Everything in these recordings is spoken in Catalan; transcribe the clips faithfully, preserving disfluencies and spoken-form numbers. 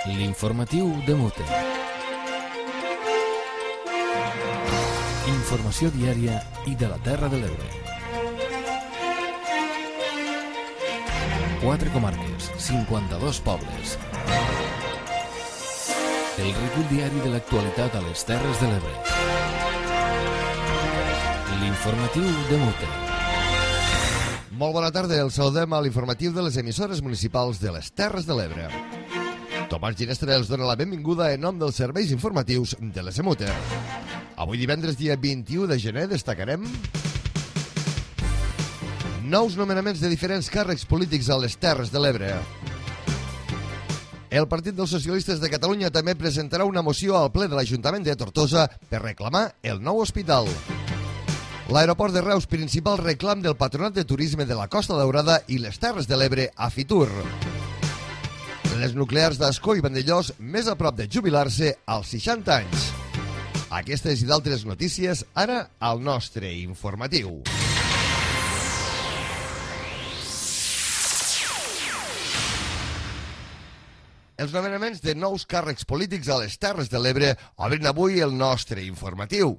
L'informatiu de Mute. Informació diària i de la Terra de l'Ebre. Quatre comarques, cinquanta-dos pobles. El recull diari de l'actualitat a les Terres de l'Ebre. L'informatiu de Mute. Molt bona tarda, el saludem a l'informatiu de les emissores municipals de les Terres de l'Ebre. Tomàs Ginestra els dona la benvinguda en nom dels serveis informatius de l'S M U T E. Avui divendres, dia vint-i-u de gener, destacarem nous nomenaments de diferents càrrecs polítics a les Terres de l'Ebre. El Partit dels Socialistes de Catalunya també presentarà una moció al ple de l'Ajuntament de Tortosa per reclamar el nou hospital. L'aeroport de Reus, principal reclam del Patronat de Turisme de la Costa Daurada i les Terres de l'Ebre a Fitur. Les nuclears d'Ascó i Vandellós més a prop de jubilar-se als seixanta anys. Aquestes i d'altres notícies ara al nostre informatiu. Els nomenaments de nous càrrecs polítics a les Terres de l'Ebre obren avui el nostre informatiu.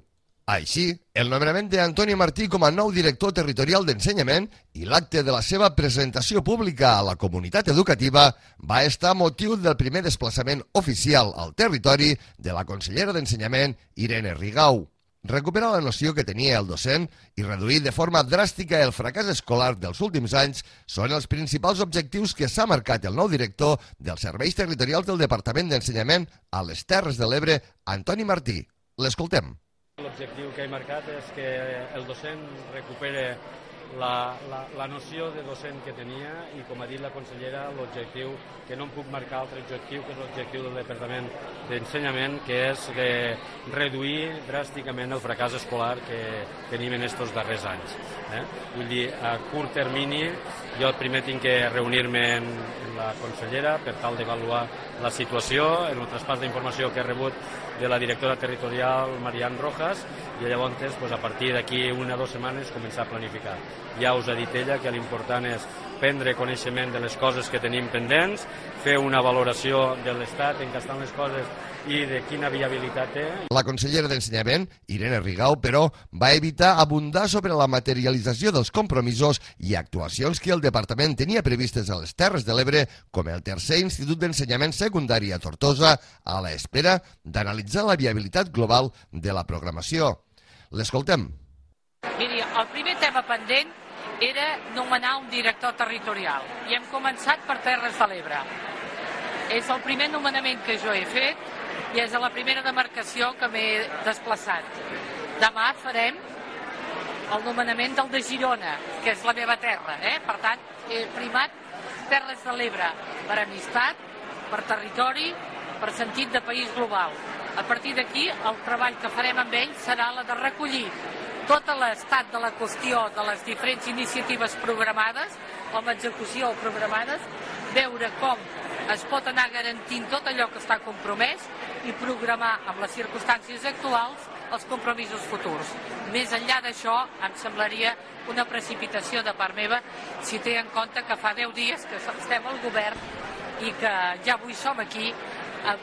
Així, el nomenament d'Antoni Martí com a nou director territorial d'ensenyament i l'acte de la seva presentació pública a la comunitat educativa va estar motiu del primer desplaçament oficial al territori de la consellera d'Ensenyament, Irene Rigau. Recuperar la noció que tenia el docent i reduir de forma dràstica el fracàs escolar dels últims anys són els principals objectius que s'ha marcat el nou director dels serveis territorials del Departament d'Ensenyament a les Terres de l'Ebre, Antoni Martí. L'escoltem. L'objectiu que he marcat és que el docent recupere la, la, la noció de docent que tenia i, com ha dit la consellera, l'objectiu, que no em puc marcar altre objectiu, que és l'objectiu del Departament d'Ensenyament, que és que reduir dràsticament el fracàs escolar que tenim en aquests darrers anys. Eh? Vull dir, a curt termini, jo primer tinc que reunir-me amb la consellera per tal d'avaluar la situació, en el traspàs d'informació que he rebut de la directora territorial Marian Rojas, i llavors pues, a partir d'aquí una o dues setmanes començar a planificar. Ja us ha dit ella que l'important és prendre coneixement de les coses que tenim pendents, fer una valoració de l'estat en què estan les coses i de quina viabilitat té. La consellera d'Ensenyament, Irene Rigau, però, va evitar abundar sobre la materialització dels compromisos i actuacions que el departament tenia previstes a les Terres de l'Ebre, com el tercer Institut d'Ensenyament Secundari a Tortosa, a l'espera d'analitzar la viabilitat global de la programació. L'escoltem. Miri, el primer tema pendent era nomenar un director territorial i hem començat per Terres de l'Ebre. És el primer nomenament que jo he fet i és a la primera demarcació que m'he desplaçat. Demà farem el nomenament del de Girona, que és la meva terra. Eh? Per tant, he primat Terres de l'Ebre per amistat, per territori, per sentit de país global. A partir d'aquí, el treball que farem amb ell serà la de recollir tot l'estat de la qüestió de les diferents iniciatives programades o amb execució programades, veure com es pot anar garantint tot allò que està compromès i programar amb les circumstàncies actuals els compromisos futurs. Més enllà d'això, em semblaria una precipitació de part meva si té en compte que fa deu dies que estem al govern i que ja avui som aquí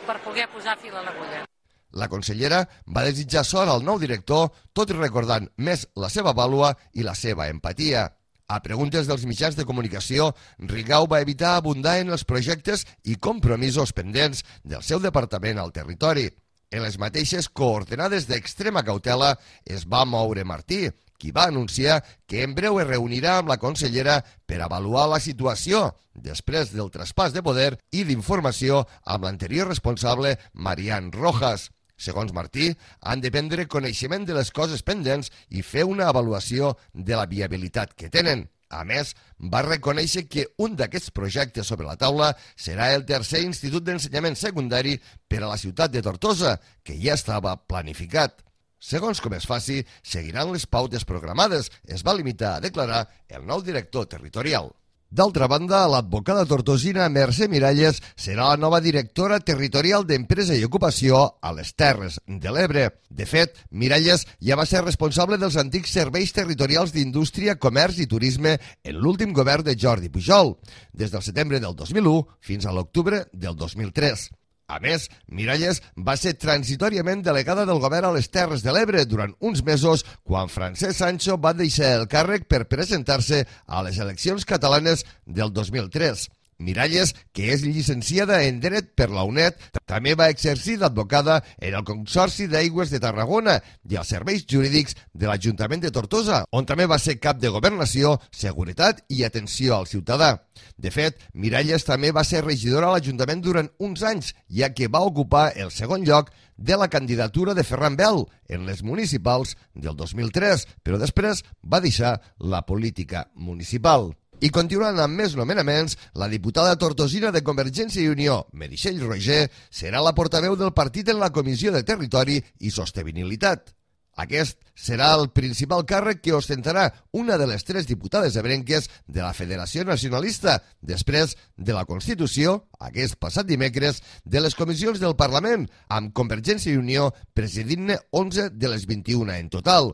per poder posar fil a l'agulla. La consellera va desitjar sort al nou director, tot i recordant més la seva vàlua i la seva empatia. A preguntes dels mitjans de comunicació, Rigau va evitar abundar en els projectes i compromisos pendents del seu departament al territori. En les mateixes coordenades d'extrema cautela es va moure Martí, qui va anunciar que en breu es reunirà amb la consellera per avaluar la situació després del traspàs de poder i d'informació amb l'anterior responsable Marian Rojas. Segons Martí, han de prendre coneixement de les coses pendents i fer una avaluació de la viabilitat que tenen. A més, va reconèixer que un d'aquests projectes sobre la taula serà el tercer Institut d'Ensenyament Secundari per a la ciutat de Tortosa, que ja estava planificat. Segons com es faci, seguiran les pautes programades, es va limitar a declarar el nou director territorial. D'altra banda, l'advocada tortosina Mercè Miralles serà la nova directora territorial d'Empresa i Ocupació a les Terres de l'Ebre. De fet, Miralles ja va ser responsable dels antics serveis territorials d'Indústria, Comerç i Turisme en l'últim govern de Jordi Pujol, des del setembre del dos mil u fins a l'octubre del dos mil tres. A més, Miralles va ser transitòriament delegada del govern a les Terres de l'Ebre durant uns mesos quan Francesc Sancho va deixar el càrrec per presentar-se a les eleccions catalanes del dos mil tres. Miralles, que és llicenciada en Dret per la U N E D, també va exercir d'advocada en el Consorci d'Aigües de Tarragona i els serveis jurídics de l'Ajuntament de Tortosa, on també va ser cap de Governació, Seguretat i Atenció al Ciutadà. De fet, Miralles també va ser regidora a l'Ajuntament durant uns anys, ja que va ocupar el segon lloc de la candidatura de Ferran Bel en les municipals del dos mil tres, però després va deixar la política municipal. I continuant amb més nomenaments, la diputada tortosina de Convergència i Unió, Meritxell Roigé, serà la portaveu del partit en la Comissió de Territori i Sostenibilitat. Aquest serà el principal càrrec que ostentarà una de les tres diputades ebrenques de la Federació Nacionalista, després de la Constitució, aquest passat dimecres, de les comissions del Parlament, amb Convergència i Unió presidint-ne onze de les vint-i-una en total.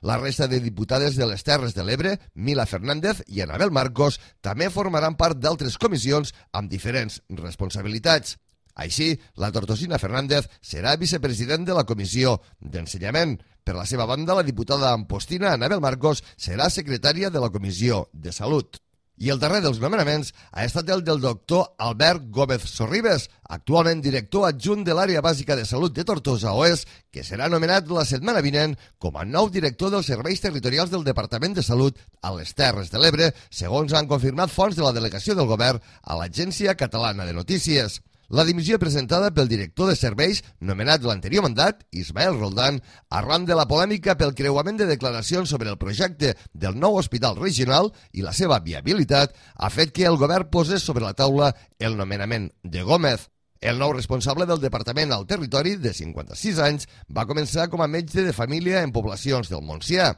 La resta de diputades de les Terres de l'Ebre, Mila Fernández i Anabel Marcos, també formaran part d'altres comissions amb diferents responsabilitats. Així, la tortosina Fernández serà vicepresident de la Comissió d'Ensenyament. Per la seva banda, la diputada ampostina Anabel Marcos serà secretària de la Comissió de Salut. I el darrer dels nomenaments ha estat el del doctor Albert Gómez Sorribes, actualment director adjunt de l'Àrea Bàsica de Salut de Tortosa Oest, que serà nomenat la setmana vinent com a nou director dels serveis territorials del Departament de Salut a les Terres de l'Ebre, segons han confirmat fonts de la delegació del govern a l'Agència Catalana de Notícies. La dimissió presentada pel director de serveis, nomenat l'anterior mandat, Ismael Roldán, arran de la polèmica pel creuament de declaracions sobre el projecte del nou hospital regional i la seva viabilitat, ha fet que el govern posés sobre la taula el nomenament de Gómez. El nou responsable del Departament al Territori, de cinquanta-sis anys, va començar com a metge de família en poblacions del Montsià.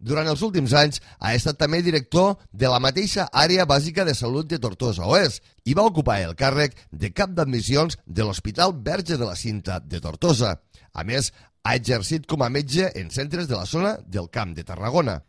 Durant els últims anys ha estat també director de la mateixa Àrea Bàsica de Salut de Tortosa Oest i va ocupar el càrrec de cap d'admissions de l'Hospital Verge de la Cinta de Tortosa. A més, ha exercit com a metge en centres de la zona del Camp de Tarragona.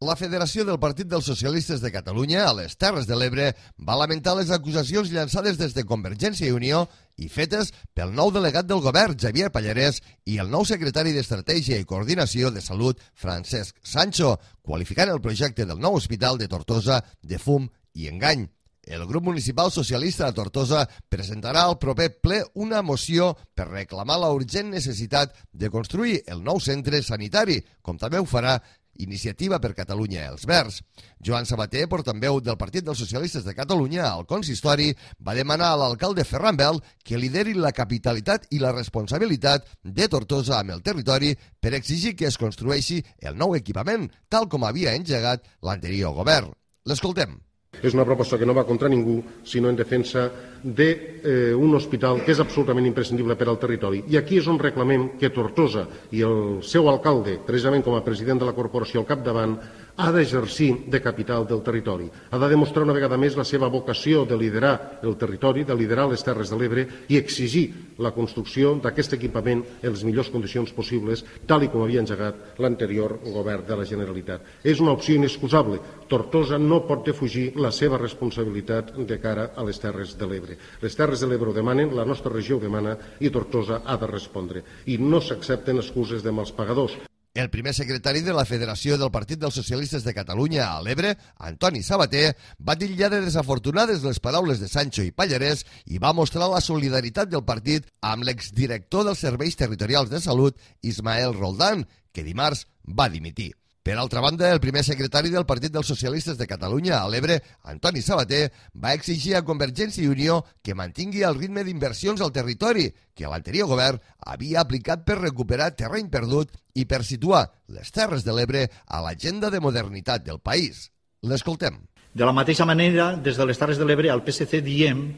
La Federació del Partit dels Socialistes de Catalunya a les Terres de l'Ebre va lamentar les acusacions llançades des de Convergència i Unió i fetes pel nou delegat del govern, Xavier Pallarès, i el nou secretari d'Estratègia i Coordinació de Salut, Francesc Sancho, qualificant el projecte del nou hospital de Tortosa de fum i engany. El grup municipal socialista de Tortosa presentarà al proper ple una moció per reclamar la urgent necessitat de construir el nou centre sanitari, com també ho farà Iniciativa per Catalunya Els Verds. Joan Sabater, portaveu del Partit dels Socialistes de Catalunya al consistori, va demanar a l'alcalde Ferran Bel que lideri la capitalitat i la responsabilitat de Tortosa amb el territori per exigir que es construeixi el nou equipament, tal com havia engegat l'anterior govern. L'escoltem. És una proposta que no va contra ningú, sinó en defensa d'un hospital que és absolutament imprescindible per al territori. I aquí és on reclamem que Tortosa i el seu alcalde, precisament com a president de la corporació al capdavant, ha d'exercir de capital del territori. Ha de demostrar una vegada més la seva vocació de liderar el territori, de liderar les Terres de l'Ebre i exigir la construcció d'aquest equipament en les millors condicions possibles, tal i com havia engegat l'anterior govern de la Generalitat. És una opció inexcusable. Tortosa no pot defugir la seva responsabilitat de cara a les Terres de l'Ebre. Les Terres de l'Ebre ho demanen, la nostra regió ho demana i Tortosa ha de respondre. I no s'accepten excuses de mals pagadors. El primer secretari de la Federació del Partit dels Socialistes de Catalunya a l'Ebre, Antoni Sabater, va titllar de desafortunades les paraules de Sancho i Pallarès i va mostrar la solidaritat del partit amb l'exdirector dels Serveis Territorials de Salut, Ismael Roldán, que dimarts va dimitir. Per altra banda, el primer secretari del Partit dels Socialistes de Catalunya a l'Ebre, Antoni Sabater, va exigir a Convergència i Unió que mantingui el ritme d'inversions al territori que l'anterior govern havia aplicat per recuperar terreny perdut i per situar les Terres de l'Ebre a l'agenda de modernitat del país. L'escoltem. De la mateixa manera, des de les Terres de l'Ebre al P S C diem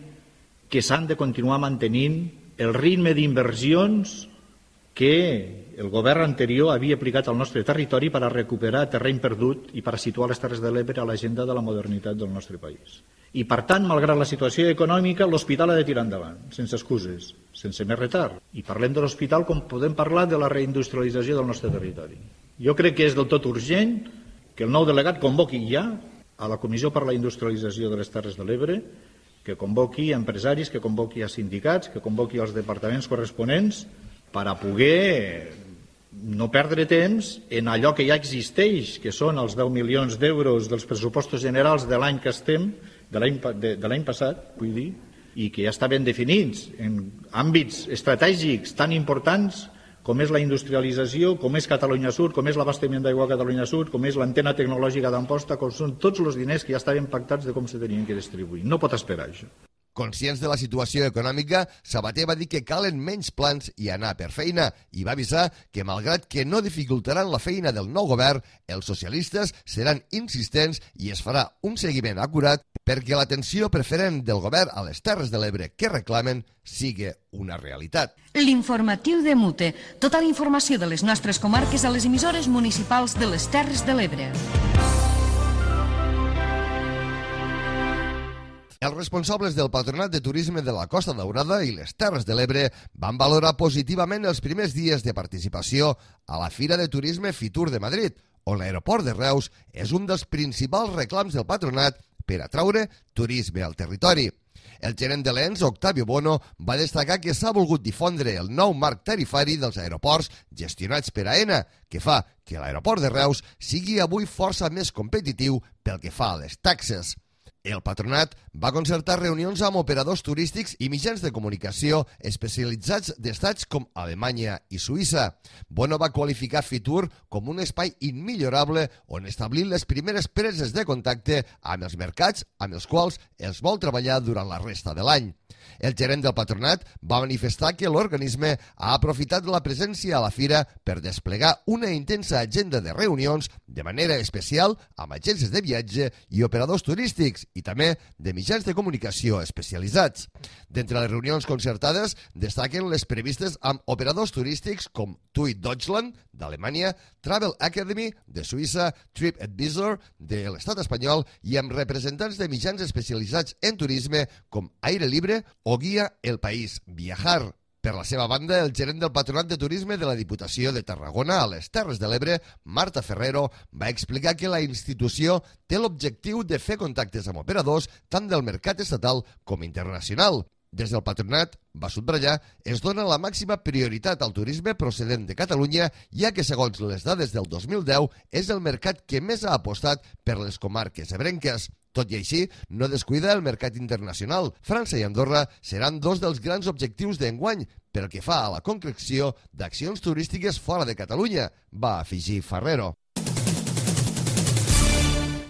que s'han de continuar mantenint el ritme d'inversions que el govern anterior havia aplicat al nostre territori per a recuperar terreny perdut i per a situar les Terres de l'Ebre a l'agenda de la modernitat del nostre país. I, per tant, malgrat la situació econòmica, l'hospital ha de tirar endavant, sense excuses, sense més retard. I parlem de l'hospital com podem parlar de la reindustrialització del nostre territori. Jo crec que és del tot urgent que el nou delegat convoqui ja a la Comissió per la Industrialització de les Terres de l'Ebre que convoqui empresaris, que convoqui a sindicats, que convoqui els departaments corresponents per a poder no perdre temps en allò que ja existeix, que són els deu milions d'euros dels pressupostos generals de l'any que estem, de l'any de, de l'any passat, vull dir, i que ja estaven definits en àmbits estratègics tan importants com és la industrialització, com és Catalunya Sud, com és l'abastament d'aigua a Catalunya Sud, com és l'antena tecnològica d'Amposta, com són tots els diners que ja estaven pactats de com se tenien que distribuir. No pot esperar això. Conscients de la situació econòmica, Sabater va dir que calen menys plans i anar per feina i va avisar que, malgrat que no dificultaran la feina del nou govern, els socialistes seran insistents i es farà un seguiment acurat perquè l'atenció preferent del govern a les Terres de l'Ebre que reclamen sigui una realitat. L'informatiu de Mute. Tota la informació de les nostres comarques a les emissores municipals de les Terres de l'Ebre. Els responsables del Patronat de Turisme de la Costa Daurada i les Terres de l'Ebre van valorar positivament els primers dies de participació a la Fira de Turisme Fitur de Madrid, on l'aeroport de Reus és un dels principals reclams del patronat per atraure turisme al territori. El gerent de l'E N S, Octavio Bono, va destacar que s'ha volgut difondre el nou marc tarifari dels aeroports gestionats per AENA, que fa que l'aeroport de Reus sigui avui força més competitiu pel que fa a les taxes. El patronat va concertar reunions amb operadors turístics i mitjans de comunicació especialitzats d'estats com Alemanya i Suïssa. Bono va qualificar Fitur com un espai immillorable on establir les primeres preses de contacte amb els mercats amb els quals els vol treballar durant la resta de l'any. El gerent del patronat va manifestar que l'organisme ha aprofitat la presència a la fira per desplegar una intensa agenda de reunions de manera especial amb agències de viatge i operadors turístics i també de mitjans de comunicació especialitzats. D'entre les reunions concertades destaquen les previstes amb operadors turístics com T U I Deutschland d'Alemanya, Travel Academy de Suïssa, TripAdvisor de l'estat espanyol i amb representants de mitjans especialitzats en turisme com Aire Libre o Guia El País Viajar. Per la seva banda, el gerent del Patronat de Turisme de la Diputació de Tarragona a les Terres de l'Ebre, Marta Ferrero, va explicar que la institució té l'objectiu de fer contactes amb operadors tant del mercat estatal com internacional. Des del patronat, va subratllar, es dona la màxima prioritat al turisme procedent de Catalunya, ja que, segons les dades del dos mil deu, és el mercat que més ha apostat per les comarques ebrenques. Tot i així, no descuida el mercat internacional. França i Andorra seran dos dels grans objectius d'enguany pel que fa a la concreció d'accions turístiques fora de Catalunya, va afegir Ferrero.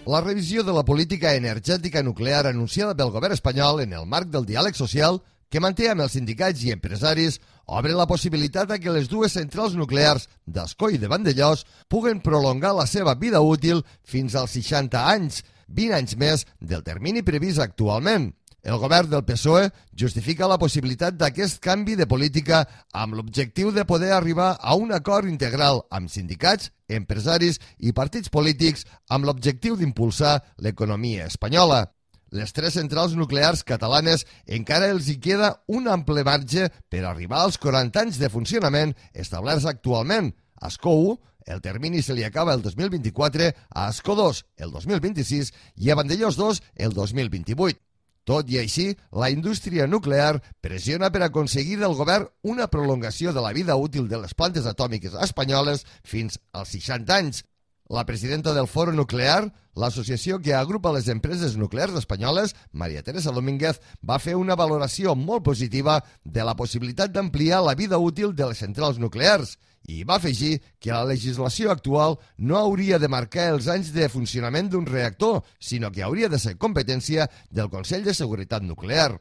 La revisió de la política energètica nuclear anunciada pel govern espanyol en el marc del diàleg social que manté amb els sindicats i empresaris obre la possibilitat que les dues centrals nuclears d'Ascó i de Vandellòs puguen prolongar la seva vida útil fins als seixanta anys, vint anys més del termini previst actualment. El govern del P S O E justifica la possibilitat d'aquest canvi de política amb l'objectiu de poder arribar a un acord integral amb sindicats, empresaris i partits polítics amb l'objectiu d'impulsar l'economia espanyola. Les tres centrals nuclears catalanes encara els hi queda un ample marge per arribar als quaranta anys de funcionament establerts actualment. A Ascó u, el termini se li acaba el dos mil vint-i-quatre, a Ascó dos el dos mil vint-i-sis i a Vandellòs dos el dos mil vint-i-vuit. Tot i així, la indústria nuclear pressiona per aconseguir del govern una prolongació de la vida útil de les plantes atòmiques espanyoles fins als seixanta anys. La presidenta del Foro Nuclear, l'associació que agrupa les empreses nuclears espanyoles, María Teresa Domínguez, va fer una valoració molt positiva de la possibilitat d'ampliar la vida útil de les centrals nuclears i va afegir que la legislació actual no hauria de marcar els anys de funcionament d'un reactor, sinó que hauria de ser competència del Consell de Seguretat Nuclear.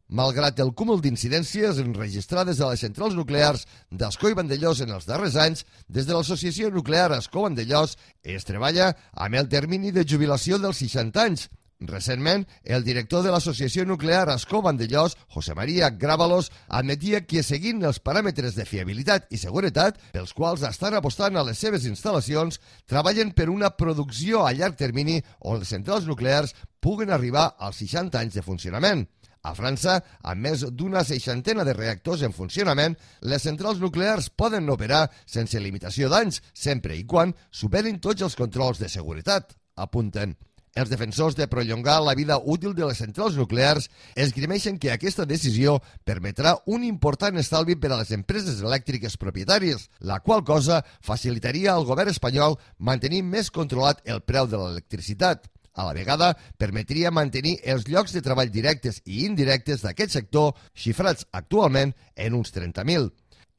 Malgrat el cúmul d'incidències enregistrades a les centrals nuclears d'Ascó i Vandellòs en els darrers anys, des de l'Associació Nuclear Ascó-Vandellòs es treballa amb el termini de jubilació dels seixanta anys. Recentment, el director de l'Associació Nuclear Ascó-Vandellòs, José María Grábalos, admetia que, seguint els paràmetres de fiabilitat i seguretat pels quals estan apostant a les seves instal·lacions, treballen per una producció a llarg termini on les centrals nuclears puguen arribar als seixanta anys de funcionament. A França, amb més d'una seixantena de reactors en funcionament, les centrals nuclears poden operar sense limitació d'anys, sempre i quan superin tots els controls de seguretat, apunten. Els defensors de prolongar la vida útil de les centrals nuclears esgrimeixen que aquesta decisió permetrà un important estalvi per a les empreses elèctriques propietàries, la qual cosa facilitaria al govern espanyol mantenir més controlat el preu de l'electricitat. A la vegada, permetria mantenir els llocs de treball directes i indirectes d'aquest sector, xifrats actualment en uns trenta mil.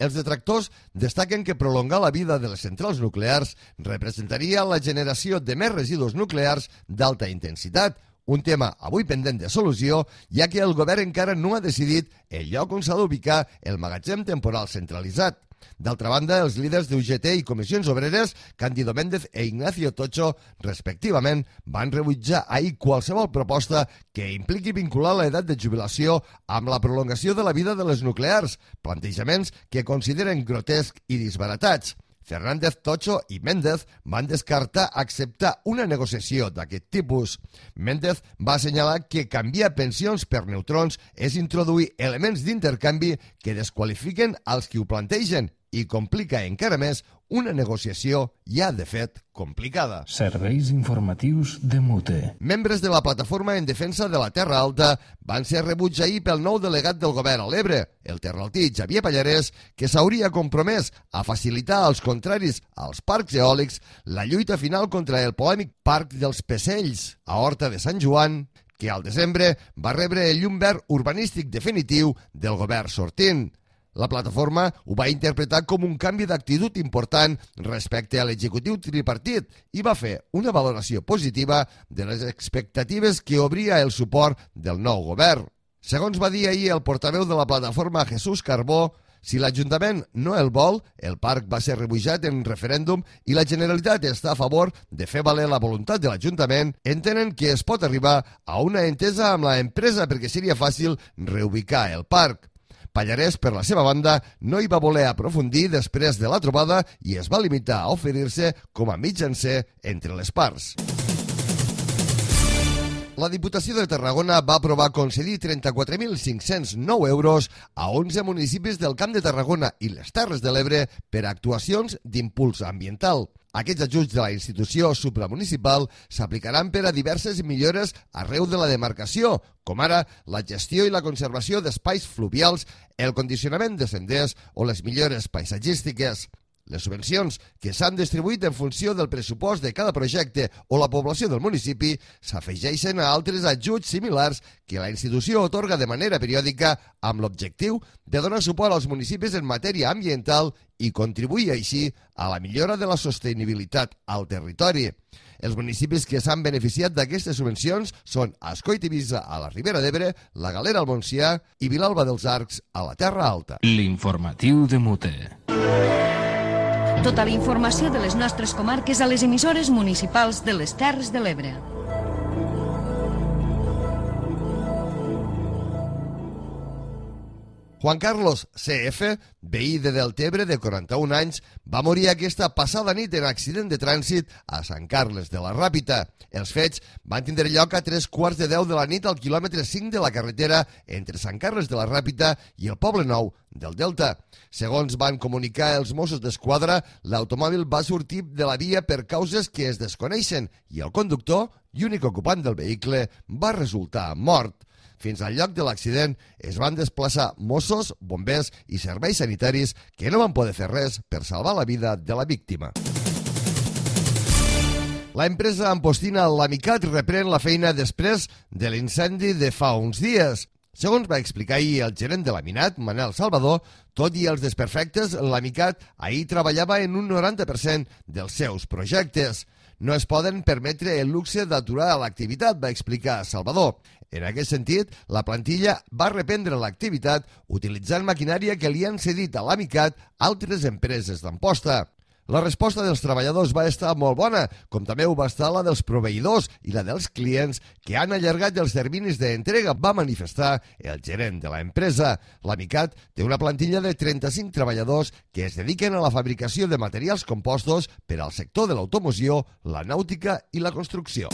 Els detractors destaquen que prolongar la vida de les centrals nuclears representaria la generació de més residus nuclears d'alta intensitat, un tema avui pendent de solució, ja que el govern encara no ha decidit el lloc on s'ha d'ubicar el magatzem temporal centralitzat. D'altra banda, els líders d'U G T i Comissions Obreres, Cándido Méndez e Ignacio Tocho, respectivament, van rebutjar ahir qualsevol proposta que impliqui vincular l'edat de jubilació amb la prolongació de la vida de les nuclears, plantejaments que consideren grotescs i disbaratats. Fernández, Tocho i Méndez van descartar acceptar una negociació d'aquest tipus. Méndez va assenyalar que canviar pensions per neutrons és introduir elements d'intercanvi que desqualifiquen als qui ho plantegen i complica encara més una negociació ja de fet complicada. Serveis informatius de Mute. Membres de la plataforma en defensa de la Terra Alta van ser rebuts ahir pel nou delegat del govern a l'Ebre, el terraltí Xavier Pallarès, que s'hauria compromès a facilitar als contraris als parcs eòlics la lluita final contra el polèmic Parc dels Pecells, a Horta de Sant Joan, que al desembre va rebre el llum verd urbanístic definitiu del govern sortint. La plataforma ho va interpretar com un canvi d'actitud important respecte a l'executiu tripartit i va fer una valoració positiva de les expectatives que obria el suport del nou govern. Segons va dir ahir el portaveu de la plataforma Jesús Carbó, si l'Ajuntament no el vol, el parc va ser rebutjat en referèndum i la Generalitat està a favor de fer valer la voluntat de l'Ajuntament, entenen que es pot arribar a una entesa amb l'empresa perquè seria fàcil reubicar el parc. Pallarès, per la seva banda, no hi va voler aprofundir després de la trobada i es va limitar a oferir-se com a mitjancer entre les parts. La Diputació de Tarragona va aprovar concedir trenta-quatre mil cinc-cents nou euros a onze municipis del Camp de Tarragona i les Terres de l'Ebre per a actuacions d'impuls ambiental. Aquests ajuts de la institució supramunicipal s'aplicaran per a diverses millores arreu de la demarcació, com ara la gestió i la conservació d'espais fluvials, el condicionament de senders o les millores paisatgístiques. Les subvencions, que s'han distribuït en funció del pressupost de cada projecte o la població del municipi, s'afegeixen a altres ajuts similars que la institució otorga de manera periòdica amb l'objectiu de donar suport als municipis en matèria ambiental i contribuir així a la millora de la sostenibilitat al territori. Els municipis que s'han beneficiat d'aquestes subvencions són Ascó-i-Tivisa a la Ribera d'Ebre, la Galera al Montsià i Vilalba dels Arcs a la Terra Alta. L'informatiu de Mute. Tota la informació de les nostres comarques a les emissores municipals de les Terres de l'Ebre. Juan Carlos C F, veí de Deltebre de quaranta-un anys, va morir aquesta passada nit en accident de trànsit a Sant Carles de la Ràpita. Els fets van tindre lloc a tres quarts de deu de la nit al quilòmetre cinc de la carretera entre Sant Carles de la Ràpita i el Poble Nou del Delta. Segons van comunicar els Mossos d'Esquadra, l'automòbil va sortir de la via per causes que es desconeixen i el conductor, i únic ocupant del vehicle, va resultar mort. Fins al lloc de l'accident es van desplaçar Mossos, bombers i serveis sanitaris que no van poder fer res per salvar la vida de la víctima. La empresa ampostina L'Amicat reprèn la feina després de l'incendi de fa uns dies. Segons va explicar ahir el gerent de Laminat, Manel Salvador, tot i els desperfectes, L'Amicat ahir treballava en un noranta per cent dels seus projectes. No es poden permetre el luxe d'aturar l'activitat, va explicar Salvador. En aquest sentit, la plantilla va reprendre l'activitat utilitzant maquinària que li han cedit a L'Amicat altres empreses d'Amposta. La resposta dels treballadors va estar molt bona, com també ho va estar la dels proveïdors i la dels clients que han allargat els terminis d'entrega, va manifestar el gerent de l'empresa. L'Amicat té una plantilla de trenta-cinc treballadors que es dediquen a la fabricació de materials compostos per al sector de l'automoció, la nàutica i la construcció.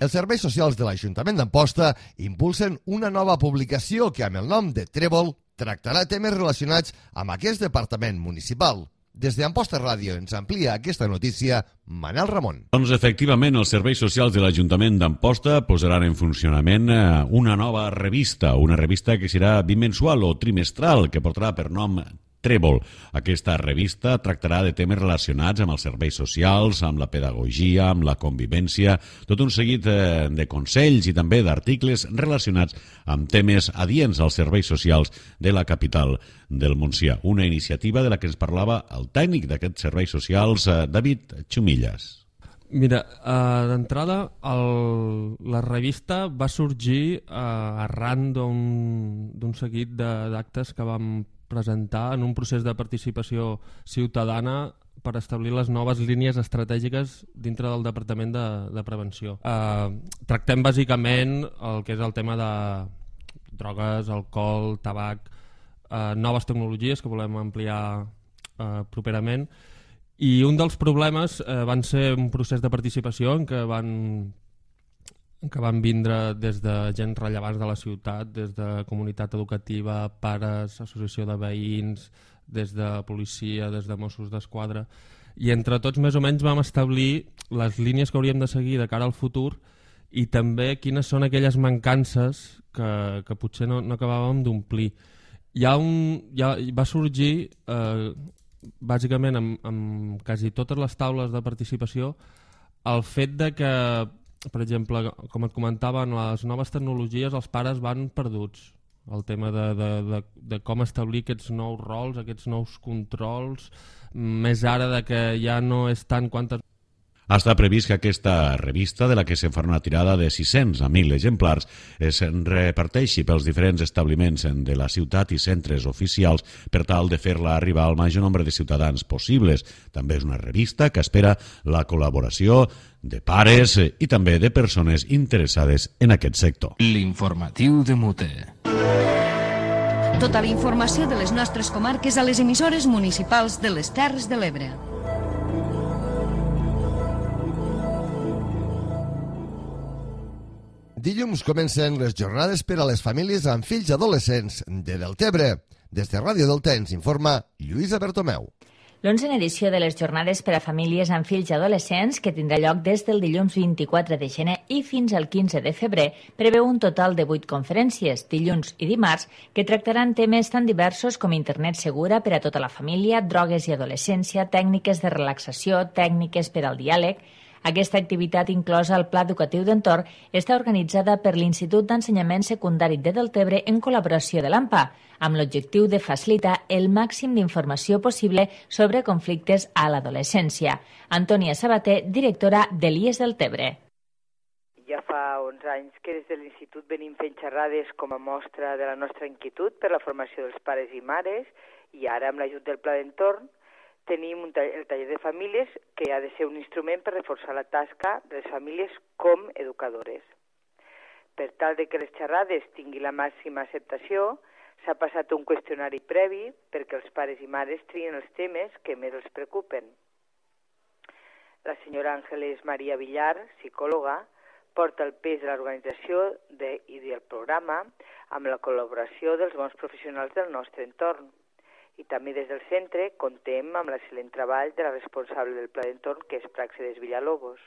Els serveis socials de l'Ajuntament d'Amposta impulsen una nova publicació que, amb el nom de Trèvol, tractarà temes relacionats amb aquest departament municipal. Des d'Amposta Ràdio ens amplia aquesta notícia Manel Ramon. Doncs efectivament els serveis socials de l'Ajuntament d'Amposta posaran en funcionament una nova revista, una revista que serà bimensual o trimestral, que portarà per nom Trèvol. Aquesta revista tractarà de temes relacionats amb els serveis socials, amb la pedagogia, amb la convivència, tot un seguit de consells i també d'articles relacionats amb temes adients als serveis socials de la capital del Montsià. Una iniciativa de la que ens parlava el tècnic d'aquests serveis socials, David Xumillas. Mira, uh, d'entrada el, la revista va sorgir uh, arran d'un seguit d'actes que vam presentar en un procés de participació ciutadana per establir les noves línies estratègiques dintre del Departament de, de Prevenció. Uh, tractem bàsicament el que és el tema de drogues, alcohol, tabac, uh, noves tecnologies que volem ampliar uh, properament, i un dels problemes uh, van ser un procés de participació en què van que van vindre des de gent rellevants de la ciutat, des de comunitat educativa, pares, associació de veïns, des de policia, des de Mossos d'Esquadra, i entre tots més o menys vam establir les línies que hauríem de seguir de cara al futur i també quines són aquelles mancances que, que potser no, no acabàvem d'omplir. Hi ha un, hi ha, va sorgir, eh, bàsicament amb, amb quasi totes les taules de participació, el fet de que, per exemple, com et comentava, en les noves tecnologies els pares van perduts. El tema de, de, de, de com establir aquests nous rols, aquests nous controls, més ara de que ja no és tant quantes... Està previst que aquesta revista, de la que se'n farà una tirada de sis-cents a mil exemplars, es reparteixi pels diferents establiments de la ciutat i centres oficials per tal de fer-la arribar al major nombre de ciutadans possibles. També és una revista que espera la col·laboració de pares i també de persones interessades en aquest sector. L'informatiu de Mute. Tota la informació de les nostres comarques a les emissores municipals de les Terres de l'Ebre. Dilluns comencen les jornades per a les famílies amb fills adolescents de Deltebre. Des de Ràdio Delta ens informa Lluïsa Bertomeu. L'onzena edició de les jornades per a famílies amb fills adolescents, que tindrà lloc des del dilluns vint-i-quatre de gener i fins al quinze de febrer, preveu un total de vuit conferències, dilluns i dimarts, que tractaran temes tan diversos com internet segura per a tota la família, drogues i adolescència, tècniques de relaxació, tècniques per al diàleg. Aquesta activitat, inclosa al Pla Educatiu d'Entorn, està organitzada per l'Institut d'Ensenyament Secundari de Deltebre en col·laboració de l'AMPA, amb l'objectiu de facilitar el màxim d'informació possible sobre conflictes a l'adolescència. Antònia Sabater, directora de l'I E S Deltebre. Ja fa onze anys que des de l'Institut venim fent xerrades com a mostra de la nostra inquietud per la formació dels pares i mares, i ara, amb l'ajut del Pla d'Entorn, tenim un taller, el taller de famílies, que ha de ser un instrument per reforçar la tasca de les famílies com educadores. Per tal de que les xerrades tinguin la màxima acceptació, s'ha passat un qüestionari previ perquè els pares i mares trien els temes que més els preocupen. La senyora Àngeles Maria Villar, psicòloga, porta el pes de l'organització de, i del programa amb la col·laboració dels bons professionals del nostre entorn. I també des del centre contem amb l'excel·lent treball de la responsable del Pla d'Entorn, que és Pràxedes Villalobos.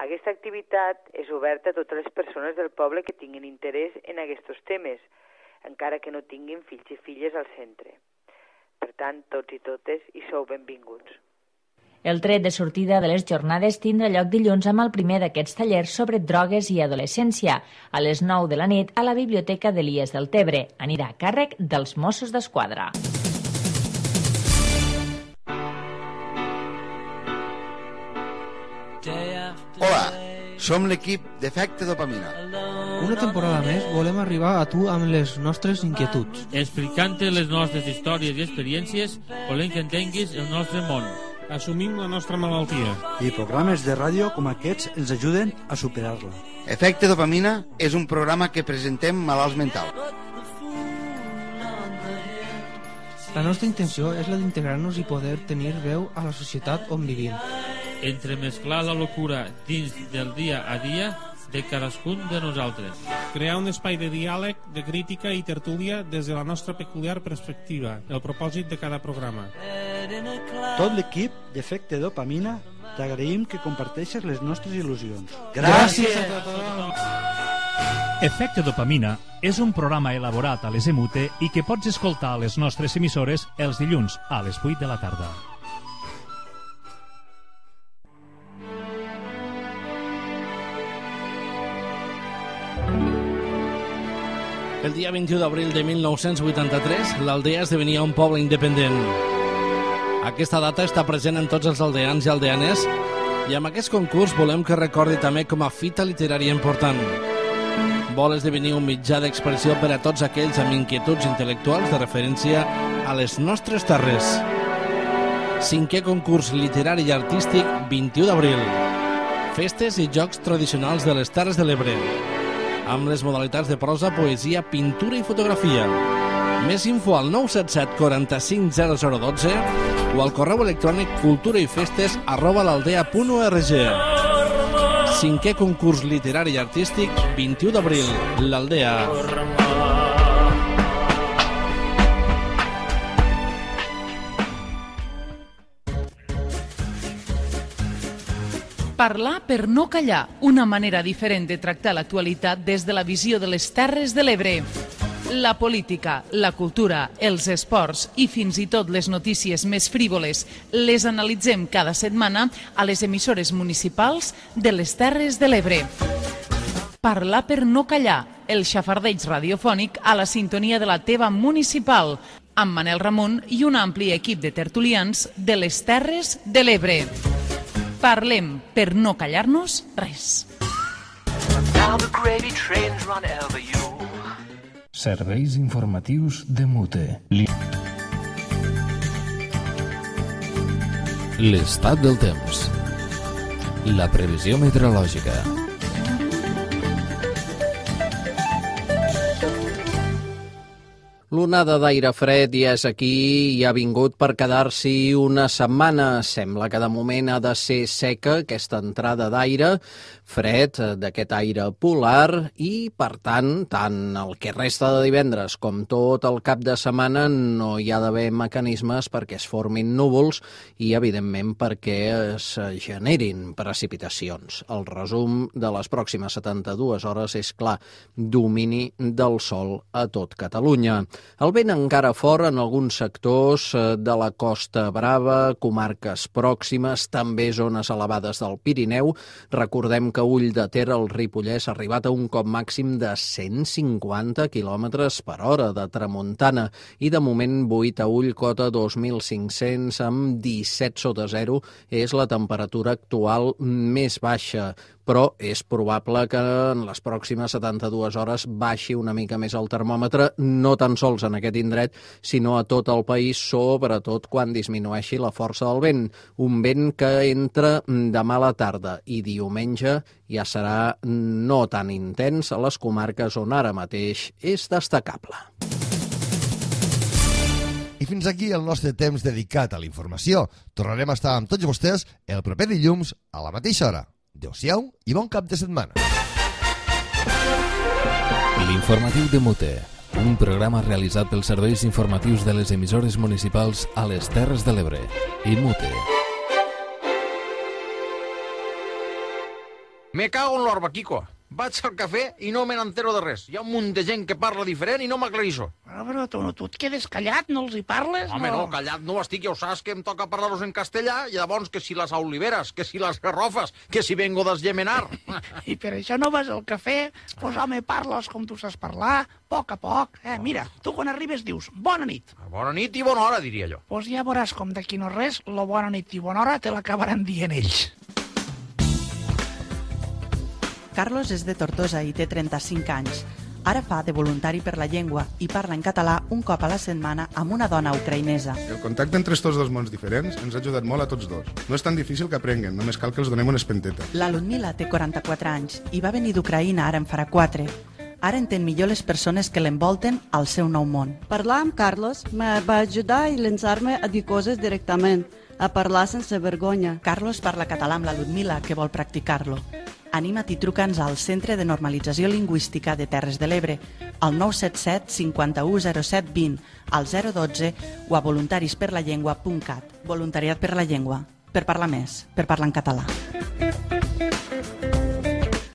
Aquesta activitat és oberta a totes les persones del poble que tinguin interès en aquests temes, encara que no tinguin fills i filles al centre. Per tant, tots i totes hi sou benvinguts. El tret de sortida de les jornades tindrà lloc dilluns amb el primer d'aquests tallers sobre drogues i adolescència, a les nou de la nit a la Biblioteca de l'I E S Deltebre. Anirà a càrrec dels Mossos d'Esquadra. Hola, som l'equip d'Efecte Dopamina. Una temporada més volem arribar a tu amb les nostres inquietuds. Explicant-te les nostres històries i experiències, volem que entenguis el nostre món. Assumim la nostra malaltia. I programes de ràdio com aquests ens ajuden a superar-la. Efecte Dopamina és un programa que presentem malalts mentals. La nostra intenció és la d'integrar-nos i poder tenir veu a la societat on vivim. Entremesclar la locura dins del dia a dia de cadascun de nosaltres. Crear un espai de diàleg, de crítica i tertúlia des de la nostra peculiar perspectiva, el propòsit de cada programa. Tot l'equip d'Efecte Dopamina t'agraïm que comparteixes les nostres il·lusions. Gràcies a tothom! Efecte Dopamina és un programa elaborat a les E M U T E i que pots escoltar a les nostres emissores els dilluns a les vuit de la tarda. El dia vint-i-u d'abril de mil nou-cents vuitanta-tres, l'Aldea esdevenia un poble independent. Aquesta data està present en tots els aldeans i aldeanes i amb aquest concurs volem que recordi també com a fita literària important. Vol esdevenir un mitjà d'expressió per a tots aquells amb inquietuds intel·lectuals de referència a les nostres terres. Cinquè concurs literari i artístic, vint-i-u d'abril. Festes i jocs tradicionals de les Terres de l'Ebre, amb les modalitats de prosa, poesia, pintura i fotografia. Més info al nou set set quaranta-cinc zero zero dotze o al correu electrònic culturaifestes arroba l'aldea punt org. Cinquè concurs literari i artístic, vint-i-u d'abril, l'Aldea. Parlar per no callar, una manera diferent de tractar l'actualitat des de la visió de les Terres de l'Ebre. La política, la cultura, els esports i fins i tot les notícies més frívoles les analitzem cada setmana a les emissores municipals de les Terres de l'Ebre. Parlar per no callar, el xafardeig radiofònic a la sintonia de la teva municipal, amb Manel Ramon i un ampli equip de tertulians de les Terres de l'Ebre. Parlem per no callar-nos res. Serveis informatius de Mute. L'estat del temps. La previsió meteorològica. L'onada d'aire fred ja és aquí i ha vingut per quedar-s'hi una setmana. Sembla que de moment ha de ser seca aquesta entrada d'aire, fred, d'aquest aire polar, i per tant, tant el que resta de divendres com tot el cap de setmana no hi ha d'haver mecanismes perquè es formin núvols i, evidentment, perquè es generin precipitacions. El resum de les pròximes setanta-dues hores és clar, domini del sol a tot Catalunya. El vent encara fort en alguns sectors de la Costa Brava, comarques pròximes, també zones elevades del Pirineu. Recordem que Ull de Ter, al Ripollès, ha arribat a un cop màxim de cent cinquanta quilòmetres per hora de tramuntana i de moment vuit a Ull, cota dos mil cinc-cents amb disset sota zero és la temperatura actual més baixa. Però és probable que en les pròximes setanta-dues hores baixi una mica més el termòmetre, no tan sols en aquest indret, sinó a tot el país, sobretot quan disminueixi la força del vent. Un vent que entra demà a la tarda i diumenge ja serà no tan intens a les comarques on ara mateix és destacable. I fins aquí el nostre temps dedicat a la informació. Tornarem a estar amb tots vostès el proper dilluns a la mateixa hora. Adéu-siau i bon cap de setmana. L'informatiu de Mute, un programa realitzat pels serveis informatius de les emissores municipals a les Terres de l'Ebre i Mute. Me cago en l'orba, Kiko. Vaig al cafè i no me n'entero de res. Hi ha un munt de gent que parla diferent i no m'aclarisso. Però, però tu, tu et quedes callat, no els hi parles? Home, no, callat no estic, ja ho saps que em toca parlar-los en castellà i llavors que si les oliveres, que si les garrofes, que si vengo d'esgemenar. I per això no vas al cafè? Pues home, parles com tu saps parlar, a poc a poc. Eh, mira, tu quan arribes dius bona nit. Bona nit i bona hora, diria jo. Pues ja veuràs com d'aquí no res, lo bona nit i bona hora te l'acabaran dient ells. Carlos és de Tortosa i té trenta-cinc anys. Ara fa de voluntari per la llengua i parla en català un cop a la setmana amb una dona ucraïnesa. El contacte entre estos dos mons diferents ens ha ajudat molt a tots dos. No és tan difícil que aprenguen, només cal que els donem una espenteta. La Ludmila té quaranta-quatre anys i va venir d'Ucraïna ara en farà quatre. Ara entén millor les persones que l'envolten al seu nou món. Parlar amb Carlos me va ajudar a llançar-me a dir coses directament, a parlar sense vergonya. Carlos parla català amb la Ludmila, que vol practicar-lo. Anima't i truca'ns al Centre de Normalització Lingüística de Terres de l'Ebre, al nou set set cinquanta-u zero set vint, al zero dotze o a voluntarisperlallengua punt cat. Voluntariat per la llengua, per parlar més, per parlar en català.